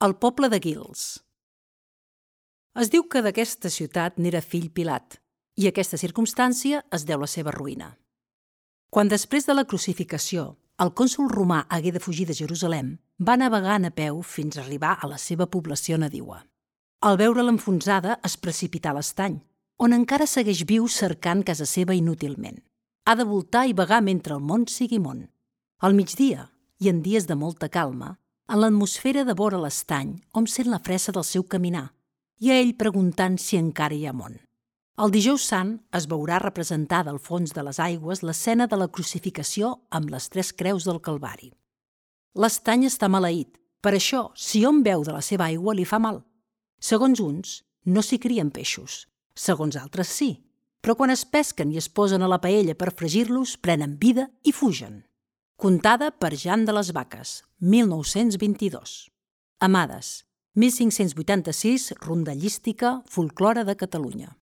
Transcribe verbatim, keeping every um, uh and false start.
El poble de Guils. Es diu que d'aquesta ciutat n'era fill Pilat, i aquesta circumstància es deu la seva ruïna. Quan després de la crucificació el cònsol romà hagué de fugir de Jerusalem, va navegant a peu fins a arribar a la seva població nadiua. Al veure l'enfonsada es precipità a l'estany, on encara segueix viu cercant casa seva inútilment. Ha de voltar i vagar mentre el món sigui món. Al migdia, i en dies de molta calma, en l'atmosfera de vora l'estany hom sent la fressa del seu caminar, i a ell preguntant si encara hi ha món. El dijous sant es veurà representada al fons de les aigües l'escena de la crucificació amb les tres creus del Calvari. L'estany està maleït, per això, si hom beu de la seva aigua li fa mal. Segons uns, no s'hi crien peixos, segons altres sí, però quan es pesquen i es posen a la paella per fregir-los, prenen vida i fugen. Contada per Jan de les Vaques, mil nou-cents vint-i-dos. Amades, mil cinc-cents vuitanta-sis, rondallística, folklore de Catalunya.